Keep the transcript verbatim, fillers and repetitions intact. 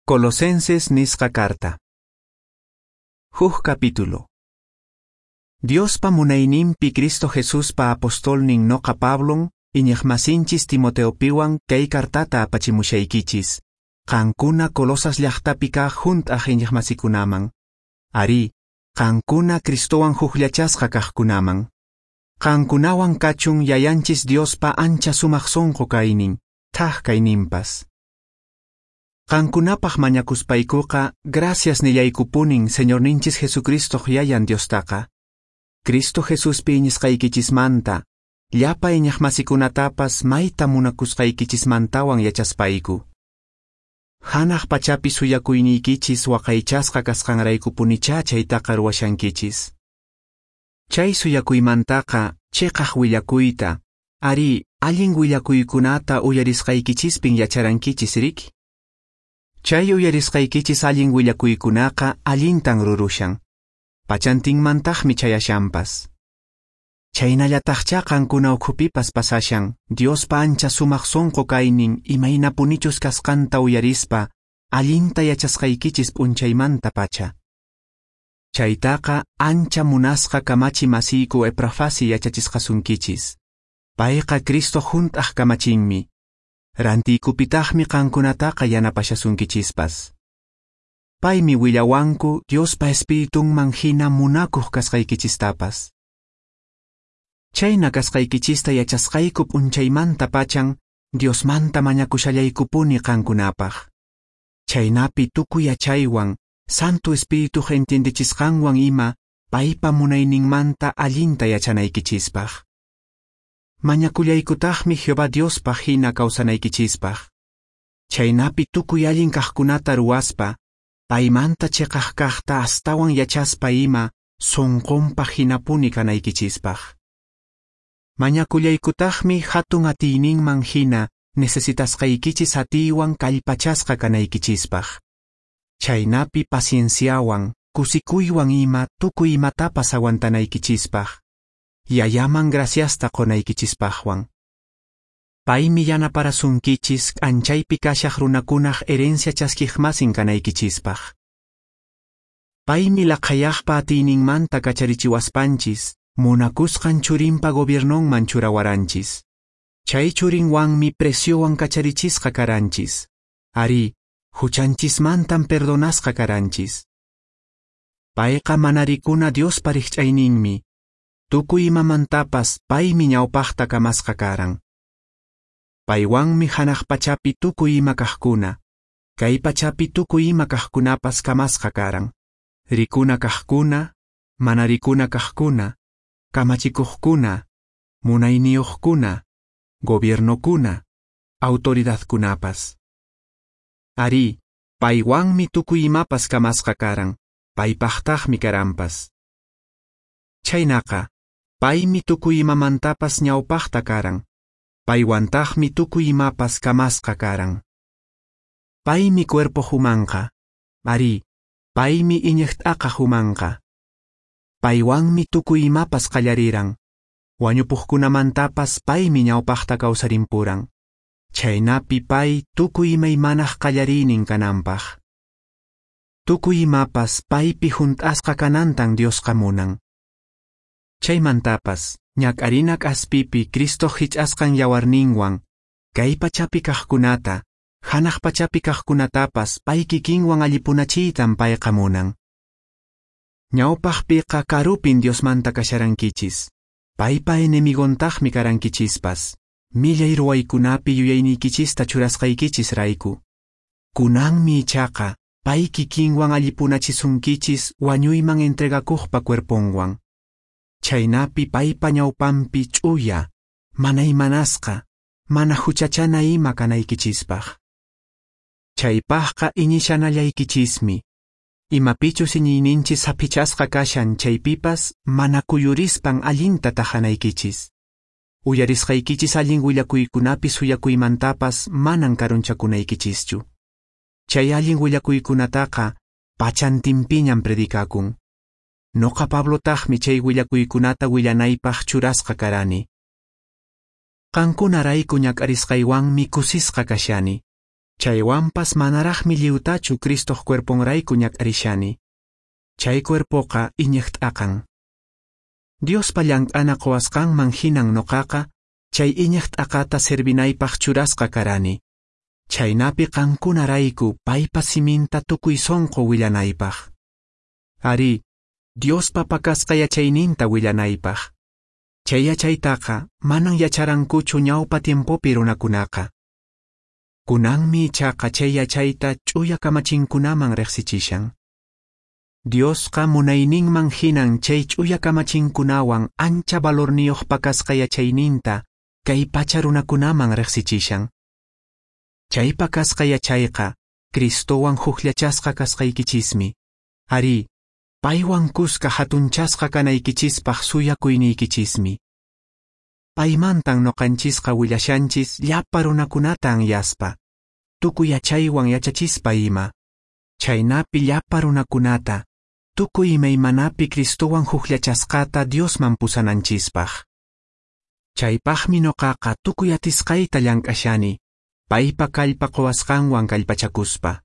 Colosenses nisqa carta. Huk capítulo. Diospa munayninpi Cristo Jesuspa apostolnin noqa Pablon, iñiqmasinchis Timoteopiwan kay cartata apachimushaykichis. Qankuna Colosas llaqtapi kaq hunt'aq iñiqmasikunaman. Arí, qankuna Cristowan hukllachasqa kaqkunaman. Qankunawan kachun yayanchis Diospa ancha sumaq sunqu kaynin, thak kayninpas. Qankunapaq mañakuspaykuqa, gracias nillaykupunin Señorninchis Jesucristoq yayan Diostaqa. Cristo Jesuspi iñisqaykichismanta, llapa iñiqmasikunatapas mayta munakusqaykichismantawan yachaspayku. Hanaq pachapi suyakuyniykichis waqaychasqa kasqanraykupunichá chaytaqa ruwashankichis. Chay suyakuymantaqa chiqaq willakuyta, arí, allin willakuykunata uyarisqaykichispin yacharankichis riki. Chay uyarisqaykichis allin willakuykunaqa allintan rurushan. Pachantinmantaqmi chayashanpas. Chaynallataqchá qankuna ukhupipas pasashan, Diospa ancha sumaq sunqu kaynin imaynapunichus kasqanta uyarispa, allinta yachasqaykichis p'unchaymanta pacha. Chaytaqa ancha munasqa kamachi masiyku Eprafasi yachachisqasunkichis. Payqa Cristo hunt'aq kamachinmi. Rantiykupitaqmi qankunataqa yanapashasunkichispas. Paymi willawanku Diospa Espiritunman hina munakuq kasqaykichistapas. Chayna kasqaykichista yachasqayku p'unchaymanta pachan Diosmanta mañakushallaykupuni qankunapaq. Chaynapi tukuy yachaywan, Santo Espirituq entiendechisqanwan ima, paypa munayninmanta allinta yachanaykichispaq. Mañakullaykutaqmi Jehová Diospaq hina kawsanaykichispaq. Chaynapi tukuy allin kaqkunata ruwaspa, paymanta chiqaq kaqta astawan yachaspa ima, sunqunpaq hinapuni kanaykichispaq. Mañakullaykutaqmi hatun atiyninman hina necesitasqaykichis atiywan kallpachasqa kanaykichispaq. Chaynapi pacienciawan, kusikuywan ima tukuy imatapas aguantanaykichispaq. Yayaman graciasta qonaykichispaqwan. Paymi yanaparasunkichis k'anchaypi kashaq runakunaq herencia chaskiqmasin kanaykichispaq. Paymi laqhayaqpa atiyninmanta kacharichiwaspanchis, munakusqan churinpa gobiernonman churawaranchis. Chay churinwanmi preciowan kacharichisqa karanchis. Arí, huchanchismantan perdonasqa karanchis. Payqa mana rikuna Diospa rikch'ayninmi. Tukuy imamantapas paymi ñawpaqta kamasqa karan. Paywanmi hanaq pachapi tukuy ima kaqkuna, kay pachapi tukuy ima kaqkunapas kamasqa karan. Rikuna kaqkuna, mana rikuna kaqkuna, kamachikuqkuna, munayniyuqkuna, gobiernokuna, autoridadkunapas. Arí, paywanmi tukuy imapas kamasqa karan, paypaqtaqmi karanpas. Chaynaqa, paymi tukuy imamantapas ñawpaqta karan, paywantaqmi tukuy imapas kamasqa karan. Paymi cuerpo humanqa, arí, paymi iñiq t'aqa humanqa. Paywanmi tukuy imapas qallariran, wañupuqkunamantapas paymi ñawpaqta kawsarimpuran. Chaynapi pay tukuy imaymanaq qallariynin kananpaq. Tukuy imapas paypi hunt'asqa kanantan Diosqa munan. Chaymantapas, ñak'arina k'aspipi Cristo hich'asqan yawarninwan, kay pachapi kaqkunata, hanaq pachapi kaqkunatapas pay kikinwan allipunachiytan payqa munan. Ñawpaqpiqa karupin Diosmanta kasharankichis, paypa enemigontaqmi karankichispas, millay ruwaykunapi yuyayniykichista churasqaykichis rayku. Kunanmi ichaqa pay kikinwan allipunachisunkichis wañuyman entregakuqpa cuerponwan. Chaynapi paypa ñawpanpi ch'uya, mana imanasqa, mana huchachana ima kanaykichispaq. Chaypaqqa iñishanallaykichismi. Imapichus iñiyninchis saphichasqa kashan chaypipas mana kuyurispan allinta tahanaykichis. Uyarisqaykichis allin willakuykunapi suyakuymantapas manan karunchakunaykichischu. Chay allin willakuykunataqa pachantinpiñan predikakun. Noqa Pablotaqmi chay willakuykunata willanaypaq churasqa karani. Qankunarayku ñak'arisqaywanmi kusisqa kashani. Chaywanpas manaraqmi lliwtachu Cristoq cuerponrayku ñak'arishani. Chay cuerpoqa iñiq t'aqan. Diospa llank'ana qowasqanman hinan noqaqa chay iñiq t'aqata servinaypaq churasqa karani. Chhaynapi qankunarayku paypa siminta tukuy sonqo willanaypaq. Arí, Diospa pakasqa yachayninta willanaypaq. Chay yachaytaqa manan yacharankuchu ñawpa tiempopi runakunaqa. Kunanmi ichaqa chay yachayta ch'uya kamachinkunaman riqsichishan. Diosqa munayninman hinan chay ch'uya kamachinkunawan ancha valorniyuq pakasqa yachayninta kay pacha runakunaman riqsichishan. Chay pakasqa yachayqa Cristowan hukllachasqa kasqaykichismi. Arí, paywan kuska hatunchasqa kanaykichispaq suyakuyniykichismi. Paymantan noqanchisqa willashanchis llapa runakunata anyaspa, tukuy yachaywan yachachispa ima. Chhaynapi llapa runakunata, tukuy imaymanapi Cristowan hukllachasqata Diosman pusananchispaq. Chaypaqmi noqaqa tukuy atisqayta llank'ashani, paypa kallpa qowasqanwan kallpachakuspa.